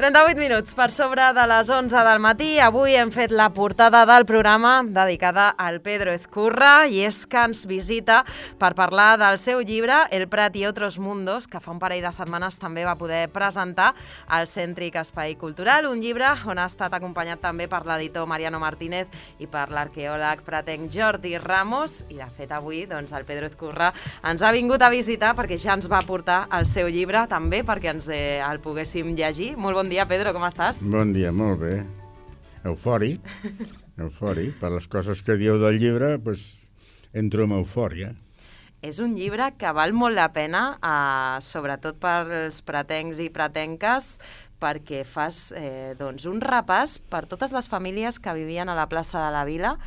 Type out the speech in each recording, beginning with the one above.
38 minuts per sobre de les 11 del matí. Avui hem fet la portada del programa dedicada al Pedro Ezcurra i és que ens visita per parlar del seu llibre El Prat i otros mundos, que fa un parell de setmanes també va poder presentar al Cèntric Espai Cultural, un llibre on ha estat acompanyat també per l'editor Mariano Martínez i per l'arqueòleg pratenc Jordi Ramos. I de fet avui el Pedro Ezcurra ens ha vingut a visitar perquè ja ens va portar el seu llibre també perquè ens el poguéssim llegir. Molt bon dia, Pedro, com estàs? Bon dia, molt bé. Eufòric. Per les coses que dieu del llibre, entro en eufòria. És un llibre que val molt la pena, sobretot pels pratencs i pratenques, perquè fas un repàs per totes les famílies que vivien a la plaça de la Vila.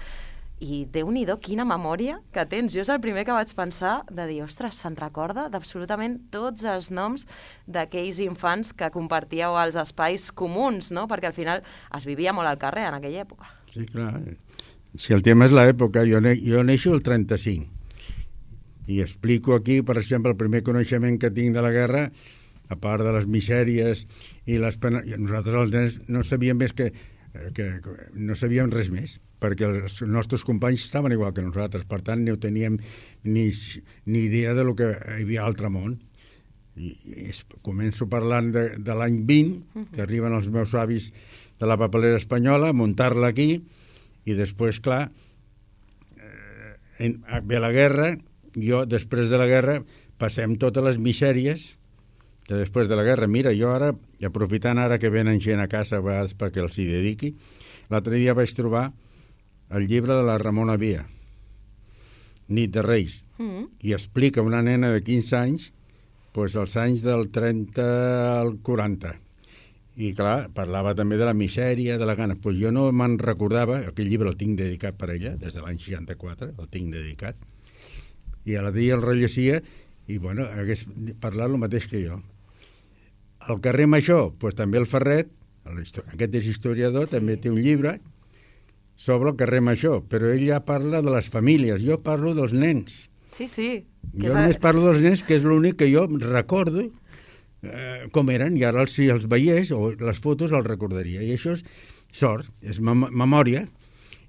I Déu-n'hi-do, quina memòria que tens. Jo és el primer que vaig pensar de dir, ostres, se'n recorda d'absolutament tots els noms d'aquells infants que compartíeu els espais comuns, no? Perquè al final es vivia molt al carrer en aquella època. Sí, clar. Si el tema és l'època, jo neixo el 35 i explico aquí, per exemple, el primer coneixement que tinc de la guerra, a part de les misèries i les penes. Nosaltres els nens no sabíem més que no sabíem res més, perquè els nostres companys estaven igual que nosaltres, per tant no teníem ni idea de lo que hi havia a l'altre món. Començo parlant de l'any 20, que arriben els meus avis de la papelera espanyola, a muntar-la aquí, i després, clar, ve la guerra, jo, després de la guerra, passem totes les misèries de després de la guerra. Mira, jo ara, aprofitant ara que venen gent a casa a vegades perquè els hi dediqui, l'altre dia vaig trobar el llibre de la Ramona Via, Nit de Reis, i explica una nena de 15 anys els anys del 30 al 40. I clar, parlava també de la misèria, de la gana. Jo no me'n recordava, aquell llibre el tinc dedicat per ella, des de l'any 64, el tinc dedicat, i a la dia el rellegia i, hagués parlat el mateix que jo. Al carrer Major, també el Ferret, aquest és historiador, també té un llibre sobre el carrer Major, però ell ja parla de les famílies, jo parlo dels nens. Sí. Jo només parlo dels nens, que és l'únic que jo recordo com eren, i ara si els veiés, o les fotos els recordaria, i això és sort, és memòria,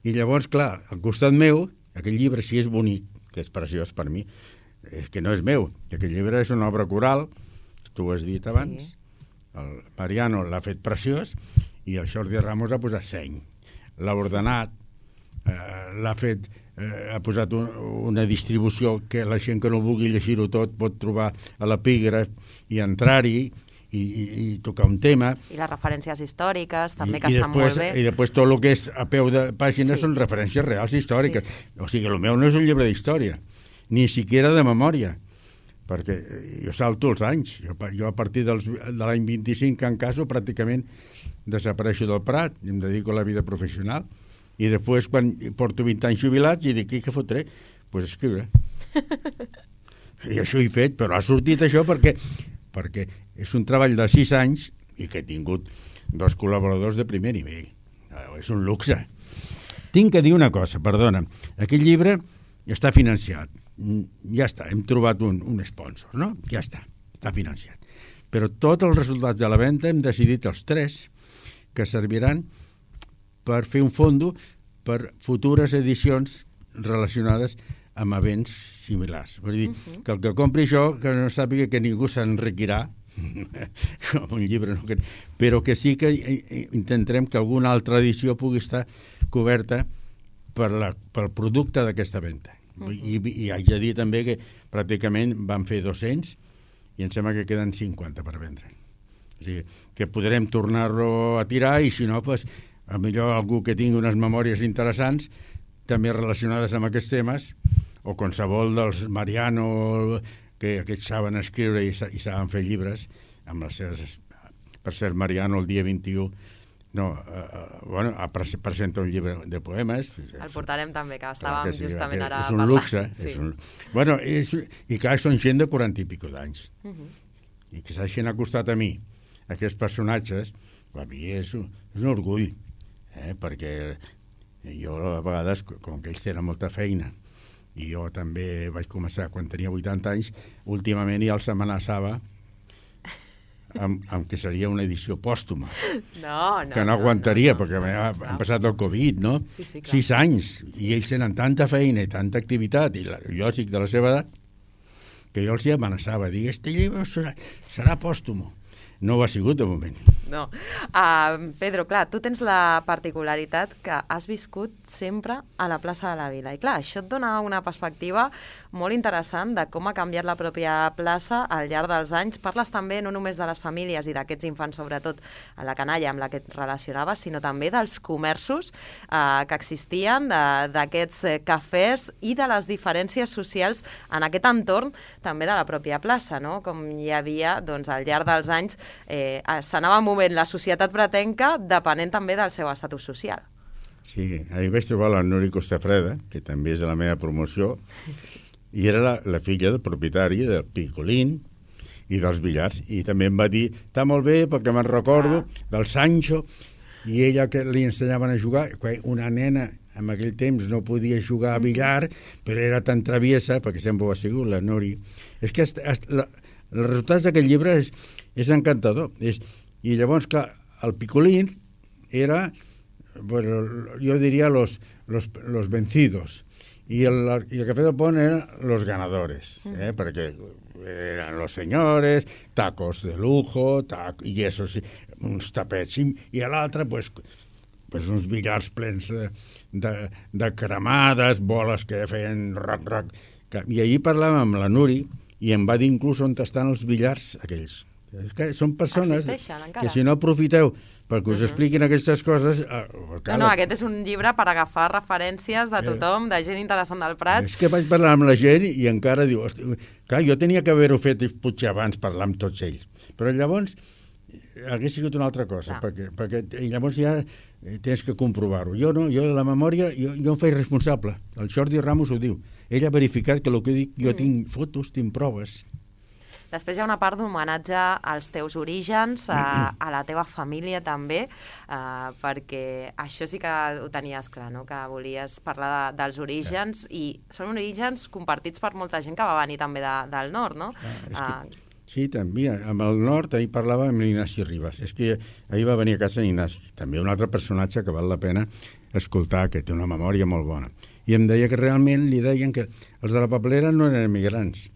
i llavors, clar, al costat meu, aquell llibre, si és bonic, que és preciós per mi, és que no és meu, aquell llibre és una obra coral, tu ho has dit abans, sí. El Mariano l'ha fet preciós i el Jordi Ramos ha posat seny, l'ha ordenat, l'ha fet, ha posat una distribució que la gent que no vulgui llegir-ho tot pot trobar a l'epígraf i entrar-hi i tocar un tema. I les referències històriques també, que estan molt bé. I després tot el que és a peu de pàgina són referències reals històriques. Sí. O sigui, el meu no és un llibre d'història, ni siquiera de memòria, perquè jo salto els anys. Jo a partir de l'any 25 que en caso pràcticament desapareixo del Prat i em dedico a la vida professional, i després quan porto 20 anys jubilats i dic, què fotré? Doncs escriure. I això he fet, però ha sortit això perquè és un treball de 6 anys i que he tingut 2 col·laboradors de primer nivell. És un luxe. Tinc que dir una cosa, perdona. Aquest llibre està financiat. Ja està, hem trobat un sponsor, no? Ja està financiat. Però tots els resultats de la venda hem decidit els 3 que serviran per fer un fondo per futures edicions relacionades amb events similars. Vull dir, que el que compri això, que no sàpiga que ningú s'enriquirà com un llibre, no? Però que sí que intentarem que alguna altra edició pugui estar coberta pel producte d'aquesta venda. I haig de dir també que pràcticament van fer 200 i em sembla que queden 50 per vendre. O sigui, que podrem tornar-lo a tirar i si no, millor algú que tingui unes memòries interessants també relacionades amb aquests temes, o qualsevol dels Mariano, que aquests saben escriure i saben fer llibres amb les seves... Per cert, Mariano el dia 21 presenta un llibre de poemes. El portarem també, que estàvem justament ara parlant. És un luxe. Sí. I clar, són gent de 40 i pico d'anys. I que s'hagin acostat a mi, aquests personatges, a mi és un orgull, perquè jo a vegades, com que ells tenen molta feina, i jo també vaig començar quan tenia 80 anys, últimament ja els amenaçava amb que seria una edició pòstuma. No, que no aguantaria, perquè han passat el Covid, no? Sí, 6 anys, i ells tenen tanta feina i tanta activitat, i jo estic de la seva edat, que jo els hi amenaçava, dir, este llibre serà pòstumo. No ho ha sigut, de moment. No. Pedro, clar, tu tens la particularitat que has viscut sempre a la plaça de la Vila. I clar, això et dona una perspectiva molt interessant de com ha canviat la pròpia plaça al llarg dels anys. Parles també no només de les famílies i d'aquests infants, sobretot a la canalla amb la que et relacionaves, sinó també dels comerços que existien, d'aquests cafès i de les diferències socials en aquest entorn també de la pròpia plaça, no? Com hi havia, doncs, al llarg dels anys s'anava movent la societat pretenca depenent també del seu estatus social. Sí, ahir vaig trobar la Nuri Costafreda, que també és de la meva promoció, i era la filla del propietari del Picolín i dels billars, i també em va dir, està molt bé perquè me'n recordo del Sancho, i ella que li ensenyaven a jugar, una nena en aquell temps no podia jugar a billar, però era tan traviesa, perquè sempre ho ha sigut, la Nuri. És que els resultats d'aquest llibre és encantador. I llavors, clar, el Picolín era, bueno, jo diria los vencidos, y el Café del Pont eren los ganadores, perquè eren los señores, tacos de lujo, i eso sí, uns tapets, i a l'altre, pues uns billars plens de cremades, boles que feien rac. I ahir parlàvem amb la Nuri, i em va dir inclús on estan els billars aquells. És que són persones que si no aprofiteu perquè us expliquin aquestes coses... No, aquest és un llibre per agafar referències de tothom, de gent interessant del Prat. És que vaig parlar amb la gent i encara diu... Clar, jo tenia que haver-ho fet potser abans, parlar amb tots ells. Però llavors hagués sigut una altra cosa, perquè llavors ja tens que comprovar-ho. Jo no, jo de la memòria, jo em faig responsable. El Jordi Ramos ho diu. Ell ha verificat que el que dic, jo tinc fotos, tinc proves. Després hi ha una part d'homenatge als teus orígens, a la teva família també, perquè això sí que ho tenies clar, no? Que volies parlar dels orígens, i són orígens compartits per molta gent que va venir també del nord, no? Sí, també. Amb el nord, ahir parlava amb l'Ignasi Ribas. És que ahir va venir a casa Ignasi, també un altre personatge que val la pena escoltar, que té una memòria molt bona. I em deia que realment li deien que els de la papelera no eren emigrants,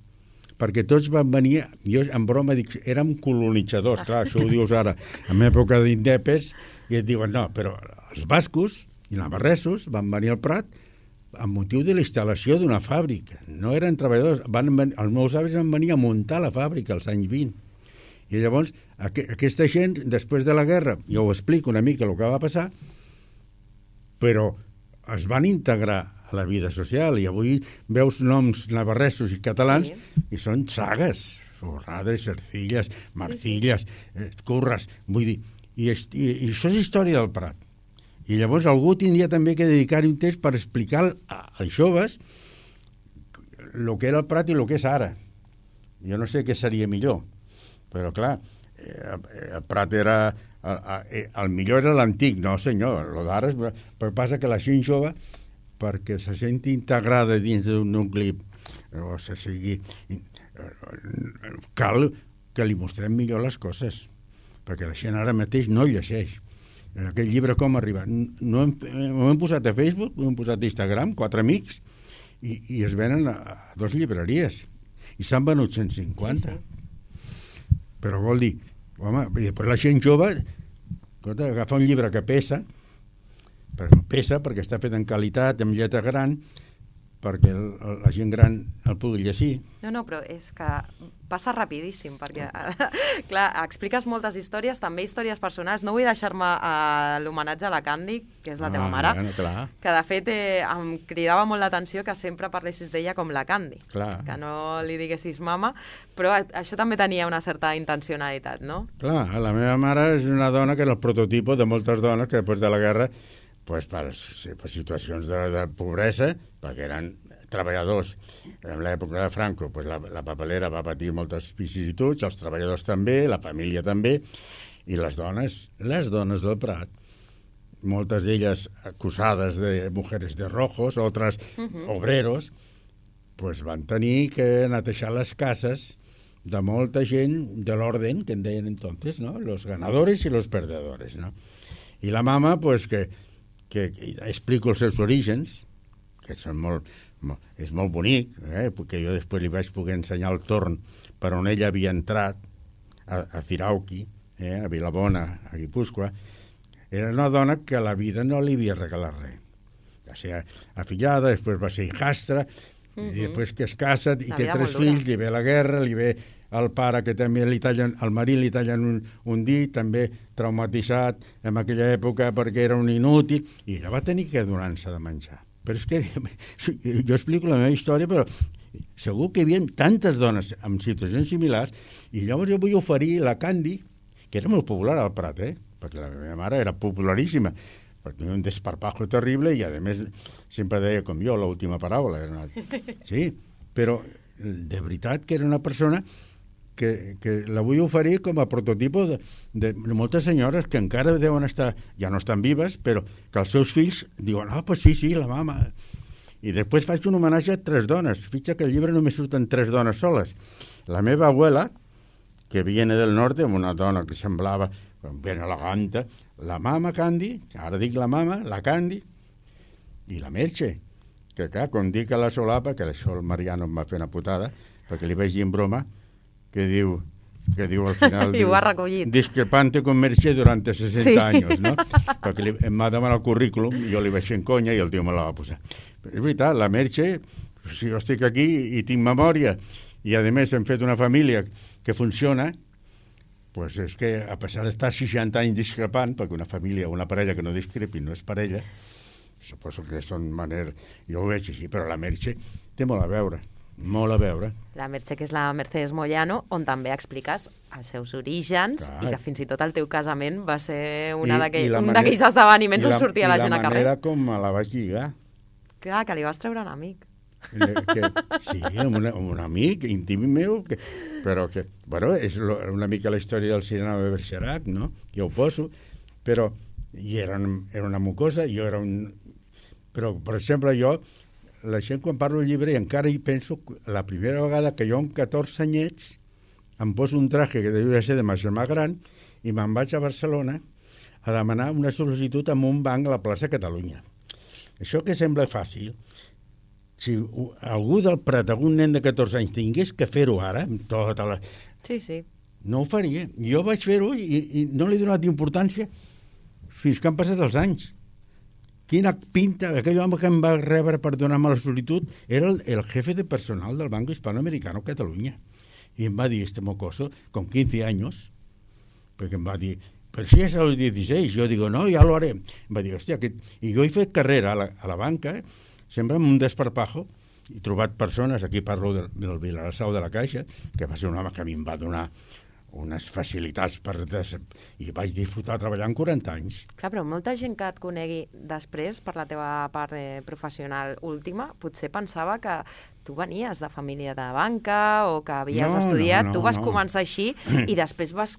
perquè tots van venir, jo en broma dic, érem colonitzadors, clar, això ho dius ara, en època d'indepes, i et diuen, no, però els bascos i navarresos van venir al Prat amb motiu de la instal·lació d'una fàbrica, no eren treballadors, els meus avis van venir a muntar la fàbrica als anys 20, i llavors aquesta gent, després de la guerra, jo ho explico una mica el que va passar, però es van integrar a la vida social, i avui veus noms navarresos i catalans i són sagues, Forradres, Cercillas, Marcillas, Curras, vull dir, i això és història del Prat. I llavors algú tindria també que dedicar-hi un temps per explicar als joves el que era el Prat i el que és ara. Jo no sé què seria millor, però clar, el Prat era... El millor era l'antic, no senyor, el d'ara però passa que la gent jove, perquè se senti integrada dins d'un nucli, o sigui, cal que li mostrem millor les coses, perquè la gent ara mateix no llegeix. En aquest llibre com arriba? Ho hem posat a Facebook, ho hem posat a Instagram, 4 amics, i es venen a 2 llibreries, i s'han venut 150. Però vol dir, home, i després la gent jove agafa un llibre que pesa perquè està fet en qualitat, amb lletra gran, perquè la gent gran el pugui llegir. No, però és que passa rapidíssim, perquè, clar, expliques moltes històries, també històries personals. No vull deixar-me l'homenatge a la Candy, que és la teva mare, que de fet em cridava molt l'atenció que sempre parlessis d'ella com la Candy, que no li diguessis mama, però això també tenia una certa intencionalitat, no? Clar, la meva mare és una dona que era el prototipo de moltes dones que després de la guerra, pues, per situacions de pobresa, perquè eren treballadors. En l'època de Franco, pues, la papelera va patir moltes vicissituds, els treballadors també, la família també, i les dones del Prat, moltes d'elles acusades de mujeres de rojos, altres obreros, pues, van tenir que netejar les cases de molta gent de l'orden, que en deien entonces, ¿no? Los ganadores y los perdedores, ¿no? I la mama, pues, que explico els seus orígens, que són és molt bonic, perquè jo després li vaig poder ensenyar el torn per on ella havia entrat, a Cirauqui, a Vilabona, a Guipúscoa. Era una dona que a la vida no li havia regalat res. Va ser afillada, després va ser hijastra, i després que es casa i té 3 fills, li ve la guerra, li ve el pare que també al marit li tallen un dit, també traumatitzat en aquella època perquè era un inútil, i ella va tenir que donar-se de menjar. Però és que jo explico la meva història, però segur que hi havia tantes dones amb situacions similars, i llavors jo vull oferir la Candy, que era molt popular al Prat, perquè la meva mare era popularíssima, perquè tenia un desparpajo terrible i, a més, sempre deia com jo, l'última paraula. Sí, però de veritat que era una persona que la vull oferir com a prototipo de moltes senyores que encara deuen estar, ja no estan vives, però que els seus fills diuen, pues sí, la mama. I després faig un homenatge a 3 dones. Fixa que al llibre només surten 3 dones soles. La meva abuela, que viene del norte, amb una dona que semblava ben elegante, la mama Candy, ara dic la mama, la Candy, i la Merche, que clar, quan dic a la solapa, que això el Mariano em va fer una putada, perquè li vaig dir en broma, que diu al final... I ho ha recollit. Discrepante con Merche durante 60 anys, no? Perquè em va demanar el currículum, i jo li vaig fer en conya i el tio me la va posar. Però és veritat, la Merche, si jo estic aquí i tinc memòria, i a més hem fet una família que funciona, pues és que a pesar d'estar 60 anys discrepant, perquè una família o una parella que no discrepi no és parella, suposo que són maneres... Jo ho veig així, però la Merche té molt a veure. Molt a veure. La Merche, que és la Mercedes Moyano, on també expliques els seus orígens, i que fins i tot el teu casament va ser un d'aquells esdeveniments on sortia la gent a carrer. I la manera com me la vaig lligar. Clar, que li vas treure un amic. Sí, un amic íntim meu, però que, bueno, és una mica la història del Cyrano de Bergerac, no? Jo ho poso, però era una mucosa, jo era un... Però, per exemple, la gent quan parlo del llibre encara hi penso la primera vegada que jo amb 14 anyets em poso un traje que devia ser de ma germà gran i me'n vaig a Barcelona a demanar una sol·licitud en un banc a la plaça Catalunya. Això que sembla fàcil, si algú del Prat, algun nen de 14 anys tingués que fer-ho ara, amb tota la... Sí. No ho faria. Jo vaig fer-ho i no li he donat importància fins que han passat els anys. Quina pinta, aquell home que em va rebre per donar-me la solitud era el jefe de personal del Banco Hispanoamericano Catalunya. I em va dir, este mocoso, con 15 años, perquè em va dir, però si és als 16, jo digo, no, ja lo haré. Em va dir, hòstia, i jo he fet carrera a la banca, sempre amb un desparpajo, he trobat persones, aquí parlo del Vilassau de la Caixa, que va ser un home que a mi em va donar unes facilitats i vaig disfrutar treballant 40 anys. Clar, però molta gent que et conegui després, per la teva part professional última, potser pensava que tu venies de família de banca o que havies estudiat, tu vas començar així i després vas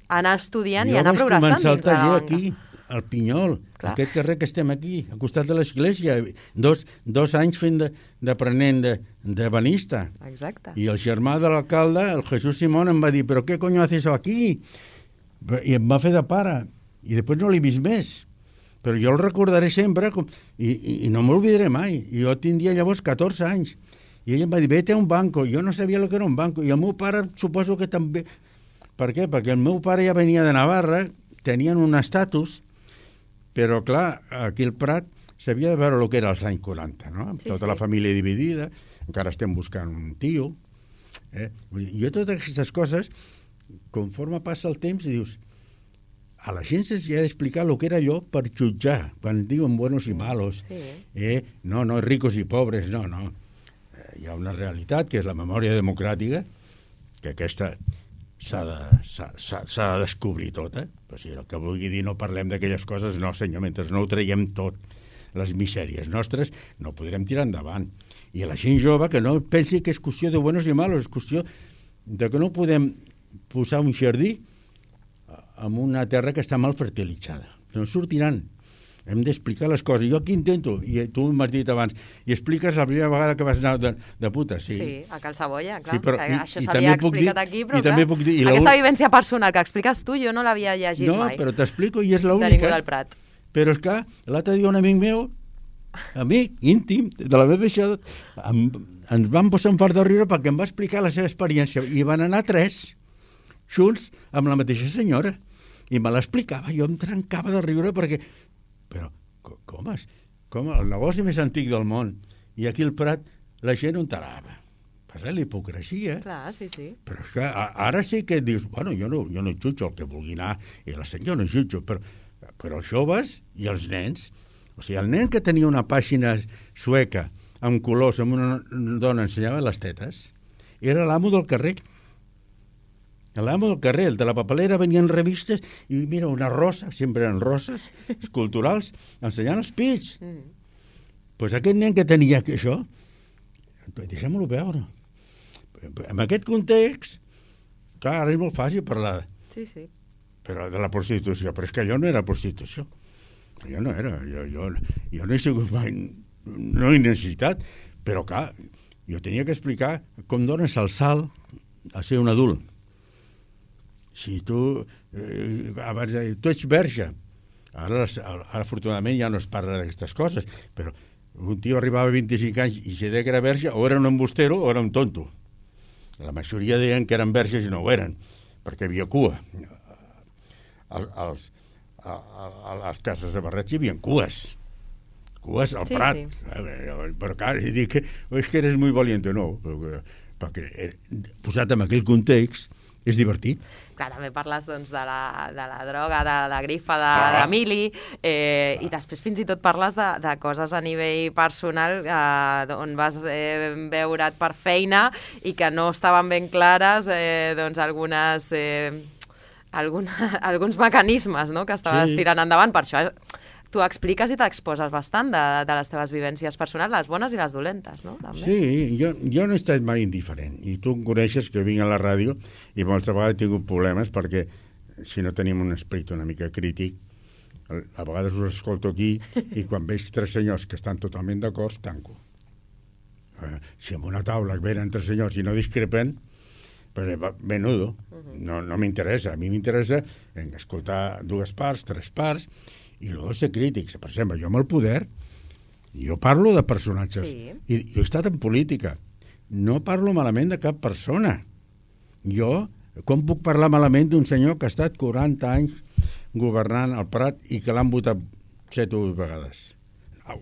anar estudiant i anar progressant dins de la banca. Jo vaig començar el taller aquí, al Pinyol, aquest carrer que estem aquí, al costat de l'església, 2 anys fent d'aprenent de banista. Exacte. I el germà de l'alcalde, el Jesús Simón, em va dir, però què coño haces aquí? I em va fer de pare. I després no l'he vist més. Però jo el recordaré sempre i no m'oblidaré mai. I jo tindria llavors 14 anys. I ell em va dir, vete a un banco. Jo no sabia el que era un banco. I el meu pare suposo que també... Per què? Perquè el meu pare ja venia de Navarra, tenien un estatus, però, clar, aquí al Prat s'havia de veure el que era als anys 40, no? Sí, tota la família dividida, encara estem buscant un tio. Jo totes aquestes coses, conforme passa el temps, dius, a la gent se'ls ha d'explicar el que era allò per jutjar, quan diuen buenos i malos. Sí. No, ricos i pobres, no. Hi ha una realitat, que és la memòria democràtica, que aquesta s'ha de descobrir tota. Però si el que vulgui dir no parlem d'aquelles coses, no senyor, mentre no ho traiem tot, les misèries nostres, no podrem tirar endavant. I a la gent jove que no pensi que és qüestió de buenos i malos, és qüestió de que no podem posar un jardí en una terra que està mal fertilitzada. No sortiran. hem d'explicar les coses. Jo aquí intento, i tu m'has dit abans, i expliques la primera vegada que vas anar de puta, sí. Sí, a Cal Saboya, clar. Sí, però, això s'havia explicat aquí, però clar, dir, aquesta vivència personal que expliques tu, jo no l'havia llegit mai. No, però t'explico, i és l'única. De ningú del Prat. Però és que l'altre dia un amic meu, amic íntim, de la meva això, ens van posar un fart de riure perquè em va explicar la seva experiència, i van anar 3 junts amb la mateixa senyora, i me l'explicava, jo em trencava de riure perquè... Però com el negoci més antic del món, i aquí al Prat la gent ho enterava. Passa l'hipocresia. Clar, sí. Però és que ara sí que dius, bueno, jo no jutjo el que vulgui anar, i la senyora no jutjo, però els joves i els nens, o sigui, el nen que tenia una pàgina sueca amb colors, amb una dona ensenyava les tetes, era l'amo del carrer. L'amo del carrer, el de la papelera, venien revistes i mira, una rosa, sempre eren roses, esculturals, ensenyant els pits. Pues aquest nen que tenia això, deixem-lo veure. En aquest context, clar, ara és molt fàcil parlar. Sí. Però de la prostitució, però és que allò no era prostitució. Jo no era, jo no he sigut mai, no he necessitat, però clar, jo tenia que explicar com dones el salt a ser un adult. Si tu, abans de dir, tu ets verge, ara afortunadament ja no es parla d'aquestes coses, però un tio arribava a 25 anys i si deia que era verge, o era un embustero o era un tonto. La majoria deien que eren verges i no ho eren, perquè hi havia cua. A les cases de barrets hi havia cues al Prat. Però clar, dic, és que eres muy valiente, no, perquè posat en aquell context és divertit. Clar, també parles doncs, de la droga, de la grifa d'Emili, i després fins i tot parles de coses a nivell personal on vas veure't per feina i que no estaven ben clares doncs, alguns mecanismes, no?, que estaves tirant endavant. Per això tu expliques i t'exposes bastant de les teves vivències personals, les bones i les dolentes, no? També. Sí, jo no he estat mai indiferent, i tu em coneixes que vinc a la ràdio i moltes vegades he tingut problemes perquè si no tenim un esperit una mica crític, a vegades us escolto aquí i quan veig 3 senyors que estan totalment d'acord, tanco. Si en una taula venen 3 senyors i no discrepen, menudo, no m'interessa. A mi m'interessa escoltar 2 parts, 3 parts, i luego ser crítics. Per exemple, jo amb el poder, jo parlo de personatges, i jo he estat en política, no parlo malament de cap persona. Jo, com puc parlar malament d'un senyor que ha estat 40 anys governant el Prat i que l'han votat 7 o 8 vegades?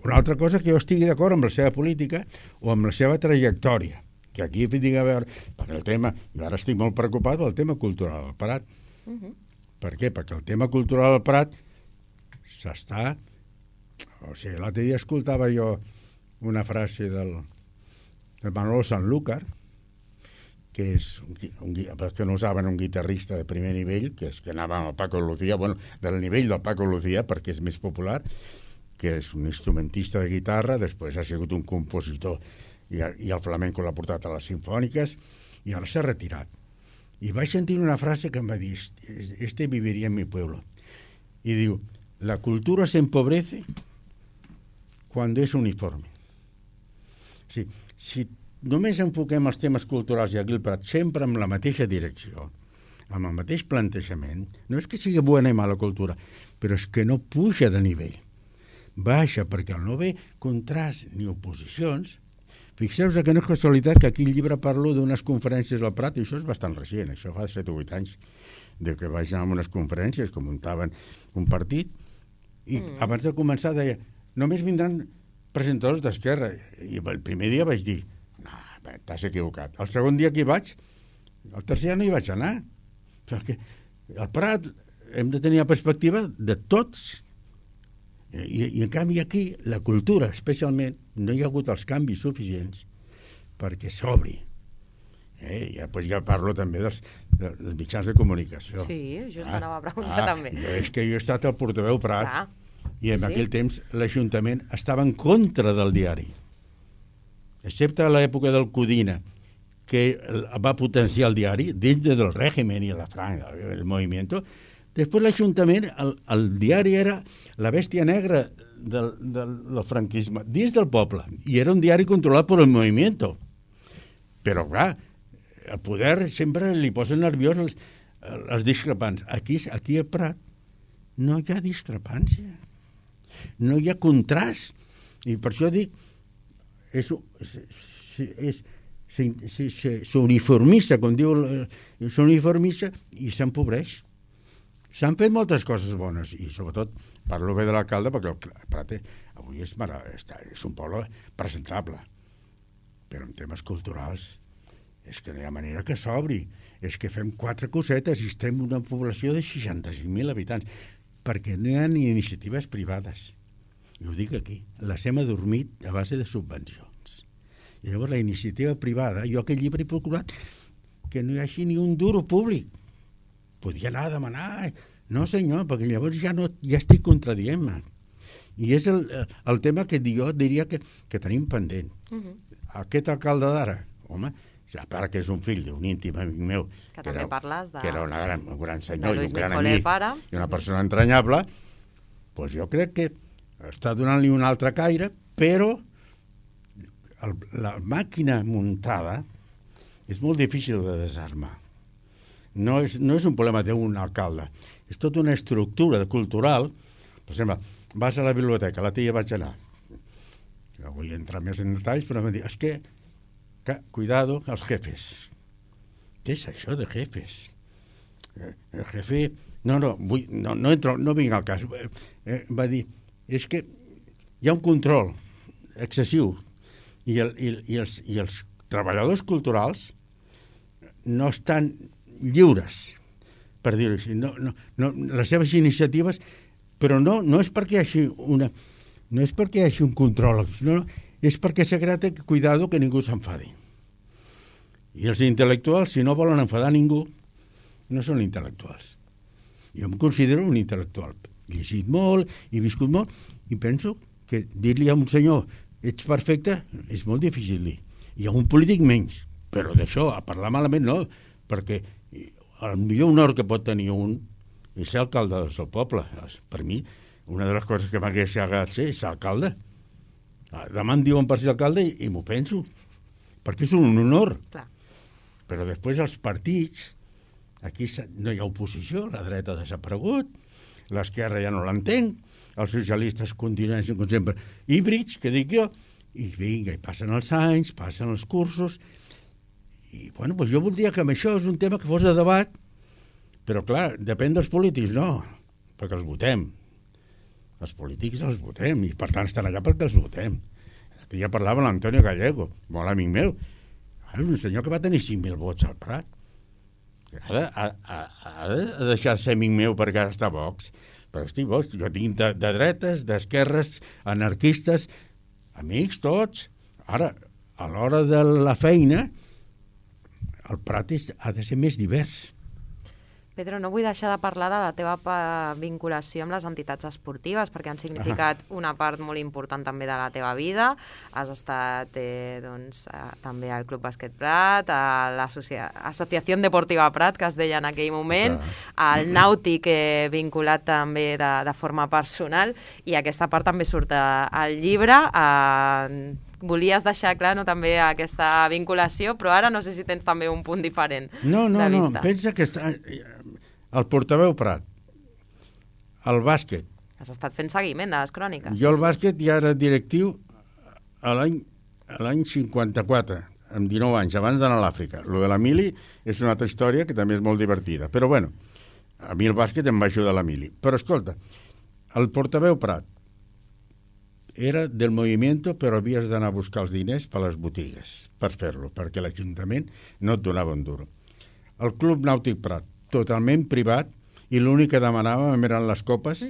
Una altra cosa que jo estigui d'acord amb la seva política o amb la seva trajectòria, que aquí tinc a veure, perquè el tema, jo ara estic molt preocupat del tema cultural al Prat. Per què? Perquè el tema cultural al Prat s'està... O sigui, l'altre dia escoltava jo una frase del Manolo Sanlúcar, que és, perquè no ho saben, un guitarrista de primer nivell, que és que anava amb el Paco Lucía, bueno, del nivell del Paco Lucía, perquè és més popular, que és un instrumentista de guitarra, després ha sigut un compositor, i el flamenco l'ha portat a les sinfòniques, i ara s'ha retirat. I vaig sentir una frase que em va dir, este viviria en mi pueblo. I diu, la cultura se empobrece cuando es uniforme. Sí, si només enfoquem els temes culturals i aquí al Prat sempre amb la mateixa direcció, amb el mateix plantejament, no és que sigui bona i mala cultura, però és que no puja de nivell. Baixa, perquè al no haver contrast ni oposicions, fixeu-vos que no és casualitat que aquí al llibre parlo d'unes conferències al Prat, i això és bastant recent, això fa 7 o 8 anys, de que vaig anar a unes conferències que muntaven un partit, i abans de començar deia, només vindran presentadors d'Esquerra, i el primer dia vaig dir, no, t'has equivocat. El segon dia que hi vaig, el tercer dia no hi vaig anar, perquè al Prat hem de tenir la perspectiva de tots, i en canvi aquí la cultura especialment no hi ha hagut els canvis suficients perquè s'obri. Ja parlo també dels mitjans de comunicació. Sí, just anava a preguntar també. És que jo he estat al portaveu Prat i en aquell temps l'Ajuntament estava en contra del diari, excepte a l'època del Codina, que va potenciar el diari dins del règim i la franja, el moviment, Després l'Ajuntament, el diari era la bèstia negra del franquisme, dins del poble, i era un diari controlat per el movimiento. Però, clar, el poder sempre li posa nerviós els discrepants. Aquí a Prat no hi ha discrepància, no hi ha contrast, i per això dic, s'uniformitza, com diu, s'uniformitza i s'empobreix. S'han fet moltes coses bones, i sobretot parlo bé de l'alcalde, perquè el Prat avui és un poble presentable, però en temes culturals és que no hi ha manera que s'obri, és que fem 4 cosetes i estem una població de 65.000 habitants, perquè no hi ha ni iniciatives privades. I ho dic aquí, les hem adormit a base de subvencions. I llavors la iniciativa privada, jo aquest llibre he procurat que no hi hagi ni un duro públic. Podia anar a demanar, no senyor, perquè llavors ja estic contradient-me. I és el tema que jo diria que tenim pendent. Aquest alcalde d'ara, home, a part que és un fill d'un íntim amic meu, que també parles de... que era un gran senyor i un gran amic i una persona entranyable, doncs jo crec que està donant-li un altre caire, però la màquina muntada és molt difícil de desarmar. No és un problema d'un alcalde, és tota una estructura cultural. Per exemple, vas a la biblioteca, la tia vaig anar. Jo vull entrar més en detalls, però em diu, és que, cuidado, els jefes. Què és això de jefes? El jefe... No entro, no vinc al cas. Va dir, és que hi ha un control excessiu i els treballadors culturals no estan lliures, per dir-ho així. Les seves iniciatives, però no és perquè hi hagi un control, no, és perquè s'ha creat cuidado que ningú s'enfadi. I els intel·lectuals, si no volen enfadar ningú, no són intel·lectuals. Jo em considero un intel·lectual. He llegit molt, he viscut molt, i penso que dir-li a un senyor ets perfecte és molt difícil dir. I a un polític menys. Però d'això, a parlar malament no, perquè el millor honor que pot tenir un és ser alcalde del seu poble. Per mi, una de les coses que m'hagués agradat ser és ser alcalde. Demà em diuen per ser alcalde i m'ho penso, perquè és un honor. Clar. Però després els partits, aquí no hi ha oposició, la dreta ha desaparegut, l'esquerra ja no l'entenc, els socialistes continuen com sempre híbrids, que dic jo, i vinga, i passen els anys, passen els cursos, i bueno, doncs jo voldria que amb això és un tema que fos de debat, però clar, depèn dels polítics, no, perquè els votem. Els polítics els votem, i per tant estan allà perquè els votem. Ja parlava l'Antonio Gallego, molt amic meu, és un senyor que va tenir 5.000 vots al Prat. Ha de deixar de ser amic meu perquè ara està a Vox. Però estic Vox, jo tinc de dretes, d'esquerres, anarquistes, amics tots. Ara, a l'hora de la feina, el Prat ha de ser més divers. Pedro, no vull deixar de parlar de la teva vinculació amb les entitats esportives, perquè han significat una part molt important també de la teva vida. Has estat també al Club Bàsquet Prat, a l'Associació Deportiva Prat, que es deia en aquell moment, al Nàutic, vinculat també de forma personal, i aquesta part també surt al llibre. Volies deixar clar també aquesta vinculació, però ara no sé si tens també un punt diferent de vista. No, pensa que el portaveu Prat, el bàsquet. Has estat fent seguiment de les cròniques. Jo el bàsquet ja era directiu a l'any 54, amb 19 anys, abans d'anar a l'Àfrica. Lo de la mili és una altra història que també és molt divertida. Però bueno, a mi el bàsquet em va ajudar la mili. Però escolta, el portaveu Prat era del movimiento, però havies d'anar a buscar els diners per les botigues per fer-lo, perquè l'Ajuntament no et donava un duro. El Club Nàutic Prat, totalment privat, i l'únic que demanàvem eren les copes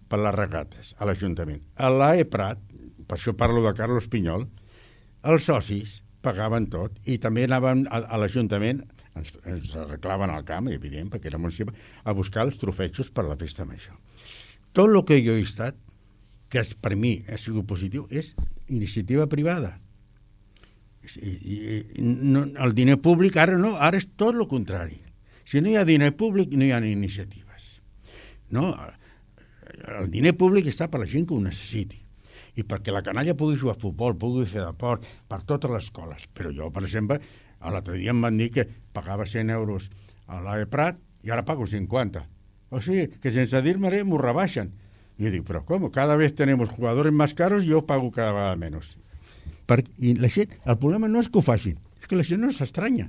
per les regates a l'Ajuntament. A l'AE Prat, per això parlo de Carlos Pinyol, els socis pagaven tot i també anaven a l'Ajuntament, ens arreglaven al camp, evident, perquè era municipal, a buscar els trofejos per la festa major. Tot el que jo he estat, que per mi ha sigut positiu, és iniciativa privada. El diner públic ara no, ara és tot el contrari. Si no hi ha diner públic, no hi ha iniciatives. No, el diner públic està per la gent que ho necessiti i perquè la canalla pugui jugar a futbol, pugui fer deport, per totes les escoles. Però jo, per exemple, l'altre dia em van dir que pagava 100 euros a l'AE Prat i ara pago 50. O sigui, que sense dir-me res m'ho rebaixen. I jo dic, però com? Cada vez tenemos jugadores más caros i jo pago cada vegada menos. I la gent, el problema no és que ho facin, és que la gent no s'estranya.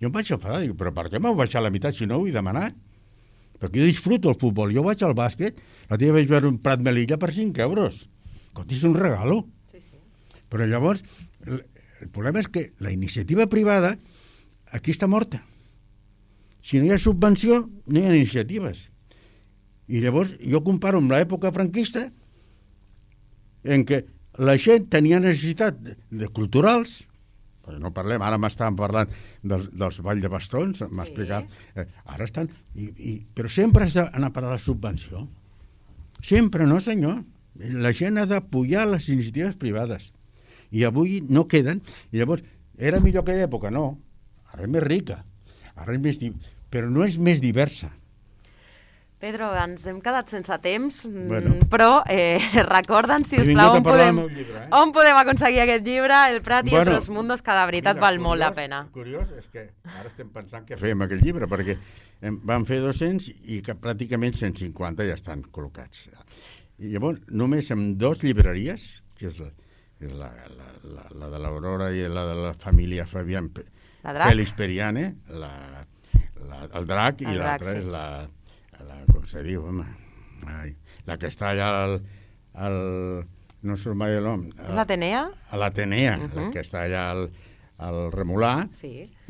Jo em vaig enfadar, dic, però per què m'heu baixat la meitat si no ho he demanat? Perquè jo disfruto el futbol, jo vaig al bàsquet, la tia vaig veure un Prat Melilla per 5 euros. Escolta, és un regalo. Sí. Però llavors, el problema és que la iniciativa privada aquí està morta. Si no hi ha subvenció, no hi ha iniciatives. I llavors jo comparo amb l'època franquista en què la gent tenia necessitat de culturals, però no parlem, ara m'estaven parlant dels ball de bastons, m'ha explicat, ara estan, però sempre has d'anar a parar la subvenció. Sempre, no senyor. La gent ha d'apoyar les iniciatives privades. I avui no queden, i llavors, era millor aquella època? No. Ara és més rica, ara és més però no és més diversa. Pedro, ens hem quedat sense temps, però recorda'ns, si us plau, on podem aconseguir aquest llibre, El Prat i Otros Mundos, que de veritat val molt la pena. Curiós és que ara estem pensant què fem amb aquest llibre, perquè van fer 200 i que pràcticament 150 ja estan col·locats. I llavors, només amb 2 llibreries, que és la de l'Aurora i la de la família Fabián Félix Periane, el Drac, i l'altra és com se diu, home, la que està allà no surt mai el nom. L'Atenea? L'Atenea, la que està allà al Remolà,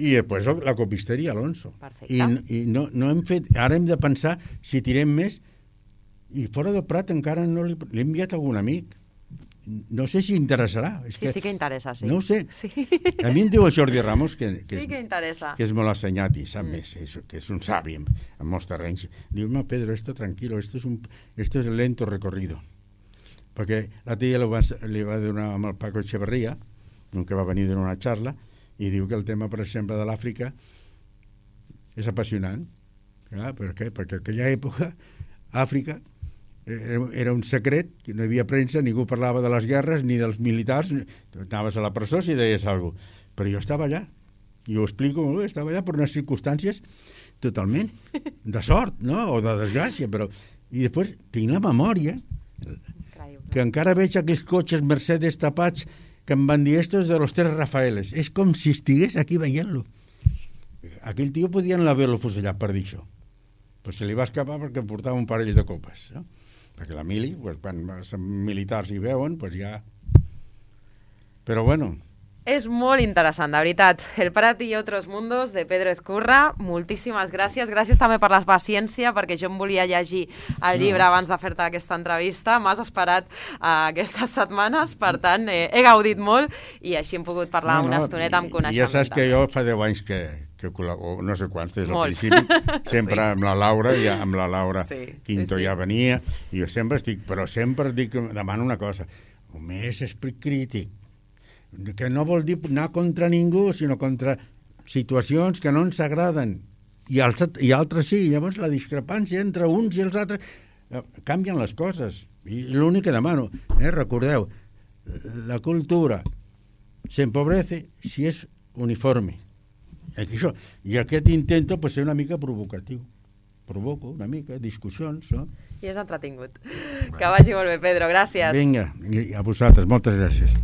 i després la copisteria Alonso. I no hem fet, ara hem de pensar si tirem més, i fora del Prat encara no l'he enviat a algun amic. No sé si interessarà. Sí que interessa, sí. No ho sé. A mi em diu el Jordi Ramos que interessa. Que és molt assenyat i sap més, que és un savi en molts terrenys. Diu, no, Pedro, esto tranquilo, esto es lento recorrido. Perquè la tia li va donar amb el Paco Echeverría, que va venir a donar una xarra, i diu que el tema, per exemple, de l'Àfrica és apassionant. Per què? Perquè en aquella època Àfrica era un secret, no hi havia premsa, ningú parlava de les guerres ni dels militars, anaves a la presó si deies alguna cosa. Però jo estava allà, i ho explico molt bé, estava allà per unes circumstàncies totalment de sort, no? O de desgràcia, però... I després tinc la memòria, que encara veig aquells cotxes Mercedes tapats que em van dir, esto es de los 3 Rafaeles. És com si estigués aquí veient-lo. Aquell tio podien haver-lo fusellat per dir això. Però se li va escapar perquè em portava un parell de copes, no? Perquè la mili, quan són militars i veuen, doncs ja... Però bueno... És molt interessant, de veritat. El Prat i Otros Mundos, de Pedro Ezcurra. Moltíssimes gràcies. Gràcies també per la paciència, perquè jo em volia llegir el llibre abans de fer-te aquesta entrevista. M'has esperat aquestes setmanes, per tant, he gaudit molt i així hem pogut parlar una estoneta amb coneixement. Ja saps que jo fa 10 anys que no sé quants, des del principi, sempre amb la Laura, ja amb la Laura Quinto ja venia, i jo sempre demano una cosa, més esperit crític, que no vol dir anar contra ningú, sinó contra situacions que no ens agraden, i altres sí, llavors la discrepància entre uns i els altres canvien les coses, i l'únic que demano, recordeu, la cultura s'empobrece si és uniforme. I aquest intento ser una mica provocatiu. Provoco una mica, discussions, no? I és entretingut. Que vagi molt bé, Pedro, gràcies. Vinga, a vosaltres, moltes gràcies.